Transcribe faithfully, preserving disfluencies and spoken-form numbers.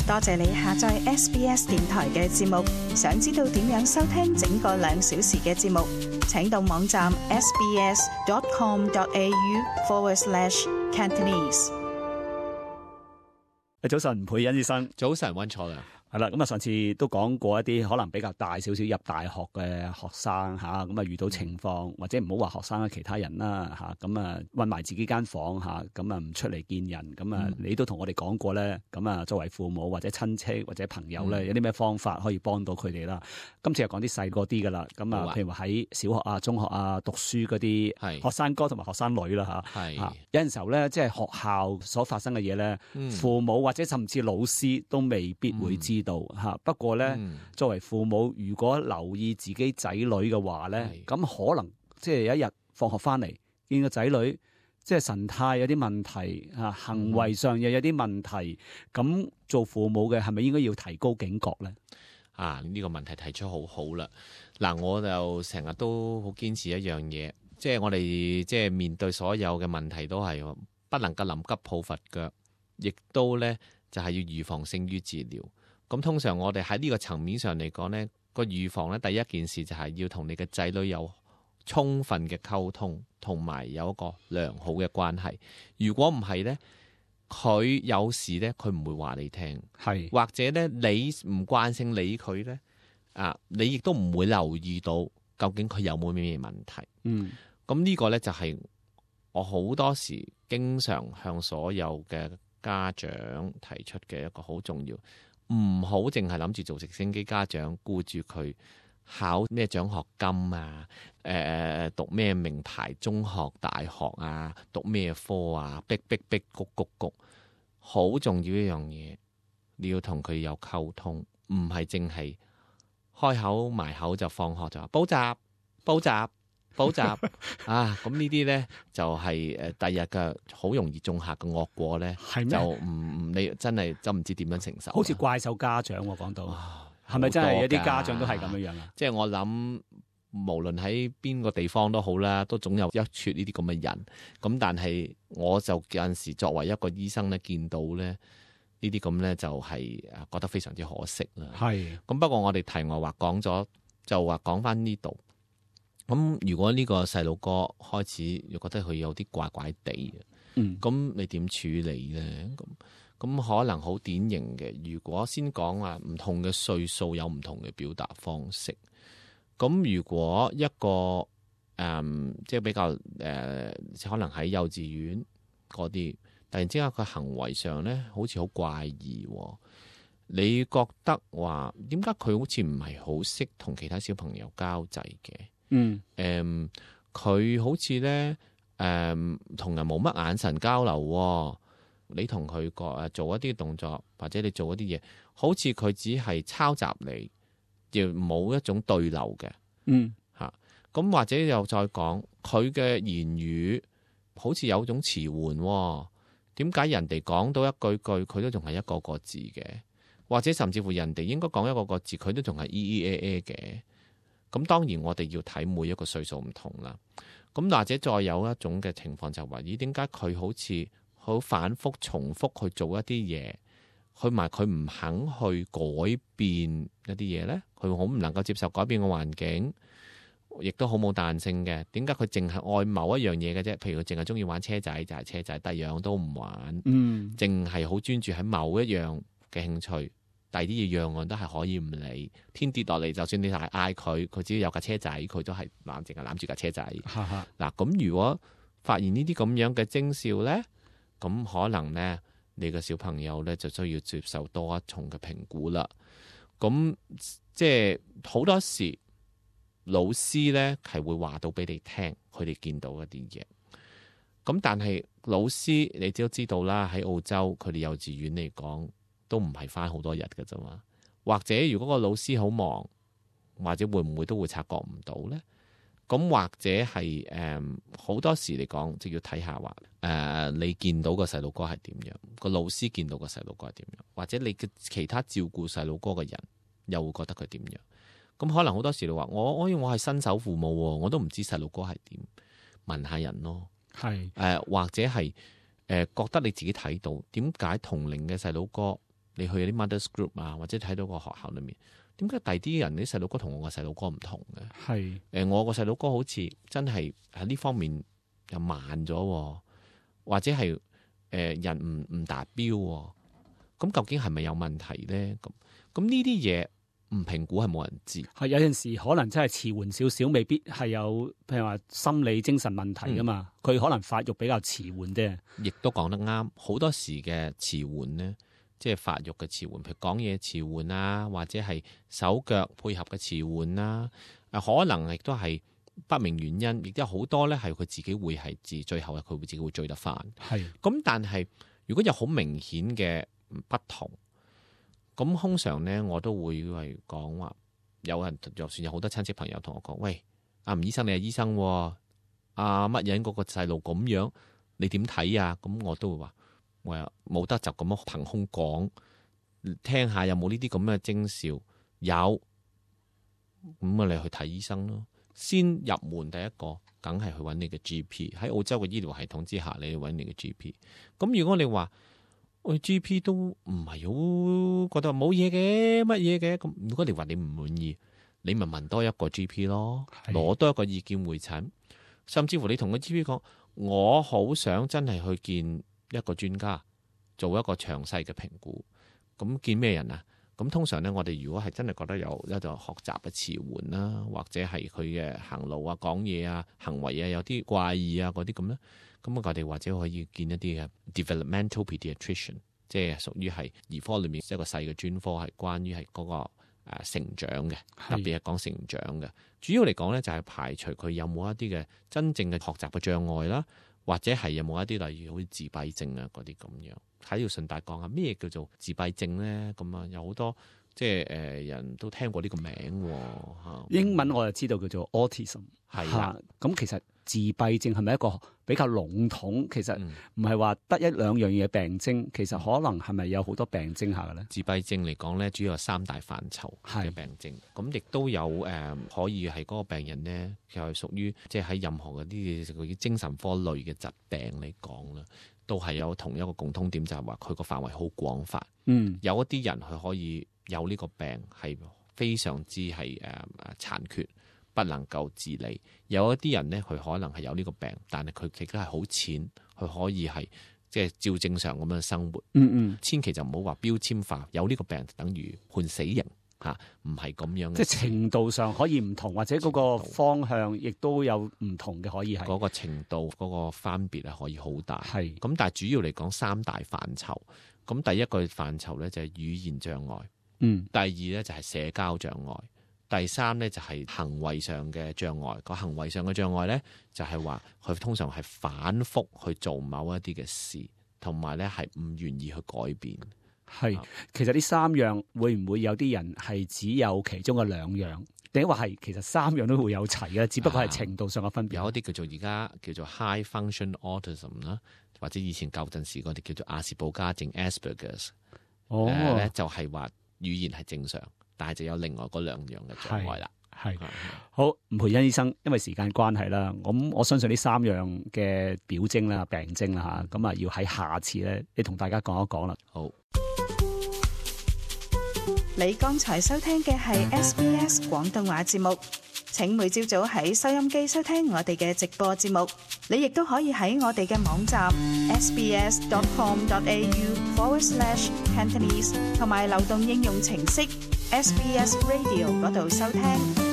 多謝你下載 S B S 電台嘅節目。想知道點樣收聽整個兩小時嘅節目，請到網站 sbs.com.au forward slash Cantonese。早晨，培恩醫生。早晨，溫楚良。係啦，咁啊，上次都講過一啲可能比較大少少入大學嘅學生嚇，咁啊遇到情況，或者唔好話學生啦，其他人啦嚇，咁啊韞埋自己間房嚇，咁啊唔出嚟見人，咁啊、嗯、你都同我哋講過咧，咁啊作為父母或者親戚或者朋友咧，嗯、有啲咩方法可以幫到佢哋啦？今次又講啲細個啲噶啦，咁啊，譬如話喺小學啊、中學啊讀書嗰啲學生哥同埋學生女啦嚇，係有陣時候咧，即係學校所發生嘅嘢咧，嗯、父母或者甚至老師都未必會知道。嗯吓，不過咧，嗯、作為父母，如果留意自己仔女嘅話咧，咁是可能即係有一日放學翻嚟，見個仔女即係神態有啲問題啊，行為上又有啲問題，咁、嗯、做父母嘅係咪應該要提高警覺咧？啊，呢、呢個問題提出好好啦。嗱，我就成日都好堅持一樣嘢，即係我哋即係面對所有嘅問題都係不能夠臨急抱佛腳，亦都咧就係、是、要預防勝於治療。咁通常我哋喺呢個層面上嚟講呢個預防呢，第一件事就係要同你嘅仔女有充分嘅溝通，同埋有一個良好嘅關係。如果唔係呢，佢有事呢，佢唔會話你聽，係或者呢，你唔慣性理佢呢，啊，你亦都唔會留意到究竟佢有冇咩問題。嗯，咁呢個呢，就係我好多時經常向所有嘅家長提出嘅一個好重要。唔好淨係諗住做直升機家長，顧住佢考咩獎學金啊，誒、呃、讀咩名牌中學、大學啊，讀咩科啊，逼逼逼谷谷谷，好重要一樣嘢，你要同佢有溝通，唔係淨係開口埋口就放學就話補習、補習、補習啊！咁呢啲咧就係誒第日嘅好容易種下嘅惡果咧，嗎就唔唔你真係真唔知點樣承受。好似怪獸家長我講到，係咪、啊、真係有啲家長都係咁樣樣啊？即係我諗，無論喺邊個地方都好啦，都總有一撮呢啲咁嘅人。咁但係我就有陣時作為一個醫生咧，見到咧呢啲咁咧就係覺得非常之可惜啦。係咁，不過我哋題外話講咗，就話講翻呢度。咁如果呢個細路哥開始又覺得佢有啲怪怪地嘅，咁、嗯、你點處理咧？咁咁可能好典型嘅。如果先講話唔同嘅歲數有唔同嘅表達方式。咁如果一個誒、嗯、即係比較誒、呃，可能喺幼稚園嗰啲，突然之間佢行為上咧好似好怪異，你覺得話點解佢好似唔係好識同其他小朋友交際嘅？嗯，誒，佢好似咧，誒，同人冇乜眼神交流喎。你同佢個誒做一啲動作，或者你做一啲嘢，好似佢只係抄襲你，亦冇一種對流嘅。嗯，嚇，咁或者又再講，佢嘅言語好似有種遲緩喎。點解人哋講到一句句，佢都仲係一個個字嘅？或者甚至乎人哋應該講一個個字，佢都仲係 e e a a 嘅。咁當然我哋要睇每一個歲數唔同啦。咁或者再有一種嘅情況就話，咦，點解佢好似好反覆重複去做一啲嘢，去埋佢唔肯去改變一啲嘢呢？佢好唔能夠接受改變嘅環境，亦都好冇彈性嘅。點解佢淨係愛某一樣嘢嘅啫？譬如佢淨係中意玩車仔就係車仔，第二樣都唔玩。嗯，淨係好專注喺某一樣嘅興趣。第啲嘢樣樣都係可以唔理，天跌落嚟，就算你係嗌佢，佢只要有架車仔，佢都係攬淨係攬住架車仔。嗱，咁如果發現呢啲咁樣嘅徵兆咧，咁可能咧你嘅小朋友咧就需要接受多一重嘅評估啦。咁即係好多時老師咧係會話到俾你聽，佢哋見到一啲嘢。咁但係老師你都知道啦，喺澳洲佢哋幼稚園嚟講，都唔係返好多日㗎啫嘛，或者如果個老師好忙，或者會唔會都會察覺唔到呢？咁或者係誒好多時嚟講，就要睇下話誒、呃、你見到個細路哥係點樣，個老師見到個細路哥係點樣，或者你嘅其他照顧細路哥嘅人又會覺得佢點樣？咁可能好多時你話我我我係新手父母，我都唔知細路哥係點，問下人咯，係誒、呃、或者係誒、呃、覺得你自己睇到點解同齡嘅細路哥你去啲 mothers group 啊，或者睇到個學校裏面，點解第啲人啲細佬哥同我個細佬哥唔同嘅？係誒、呃，我個細佬哥好似真係喺呢方面又慢咗，或者係誒、呃、人唔唔達標，咁究竟係咪有問題咧？咁咁呢啲嘢唔評估係冇人知。係有陣時可能真係遲緩少少，未必係有譬如話心理精神問題噶嘛，佢、嗯、可能發育比較遲緩啫。亦都講得啱，好多時嘅遲緩咧，即係發育嘅遲緩，譬如講嘢遲緩啊，或者係手腳配合嘅遲緩啦，誒可能亦都係不明原因，亦都有好多咧係佢自己會係至最後佢會自己會追得翻。係咁，但係如果有好明顯嘅不同，咁通常咧我都會係講話，有人就算有好多親戚朋友同我講，喂，阿吳醫生你係醫生，阿乜人嗰個細路咁樣，你點睇啊？咁我都會話，我又冇得就咁樣憑空講，聽下有冇呢啲咁嘅徵兆，有，咁啊你去睇醫生咯。先入門第一個，梗係去揾你嘅 G P。喺澳洲嘅醫療系統之下，你去揾你嘅 G P。咁如果你話，喂 G P 都唔係好覺得冇嘢嘅，乜嘢嘅，咁如果你話你唔滿意，你咪問多一個 G P 咯，攞多一個意見會診，甚至乎你同個 G P 講，我好想真係去見一個專家，做一個詳細嘅評估。咁見咩人啊？咁通常咧，我哋如果係真係覺得有一個學習嘅遲緩啦，或者係佢嘅行路啊、講嘢啊、行為啊有啲怪異啊嗰啲咁咧，咁我哋或者可以見一啲嘅 developmental pediatrician， 即係屬於係兒科裏面一個細嘅專科，係關於係嗰個誒成長嘅，特別係講成長嘅。主要嚟講咧，就係排除佢有冇一啲嘅真正嘅學習嘅障礙啦，或者係有冇一啲例如好似自閉症啊嗰啲咁樣。喺度順帶講下咩叫做自閉症咧？咁啊有好多即係誒、呃、人都聽過呢個名嚇。英文我就知道叫做 autism 係啦。咁其實自閉症係咪一個比較籠統？其實唔係話得一兩樣嘢病徵，其實可能係咪有好多病徵下嘅咧？自閉症嚟講咧，主要有三大範疇嘅病徵。咁亦都有誒、呃、可以係嗰個病人咧，就係屬於即係喺任何嗰啲叫精神科類嘅疾病嚟講啦。都係有同一個共通點，就係話佢個範圍好廣泛。嗯，有一啲人佢可以有呢個病係非常之係誒誒殘缺，不能夠自理。有一啲人咧，佢可能係有呢個病，但係佢亦都係好淺，佢可以係即係照正常咁樣生活。嗯嗯，千祈就唔好話標籤化，有呢個病等於判死刑。嚇，唔係咁樣嘅，即係程度上可以唔同，或者嗰個方向亦都有唔同嘅，可以係嗰個程度嗰個分別係可以好大。係咁，但係主要嚟講三大範疇。咁第一個範疇咧就係語言障礙，嗯，第二咧就係社交障礙，第三咧就係行為上嘅障礙。個行為上嘅障礙咧就係話佢通常係反覆去做某一啲嘅事，同埋咧係唔願意去改變。係，其實呢三樣會唔會有啲人係只有其中嘅兩樣，定係話係其實三樣都會有齊嘅，只不過係程度上嘅分別。有一啲叫做而家叫做 high function autism 啦，或者以前舊陣時我哋叫做亞氏保加症 Asperger's。哦，咧、呃、就係、是、話語言係正常，但係就有另外嗰兩樣嘅障礙啦。係好，吳培恩醫生，因為時間關係啦，咁我相信呢三樣嘅表徵啦、病徵啦嚇，咁啊要喺下次咧，你同大家講一講啦。好。你剛才收聽嘅係 S B S 廣東話節目，請每朝早喺收音機收聽我哋嘅直播節目。你亦都可以喺我哋嘅網站 sbs dot com dot a u forward slash Cantonese 同埋流動應用程式 S B S Radio 嗰度收聽。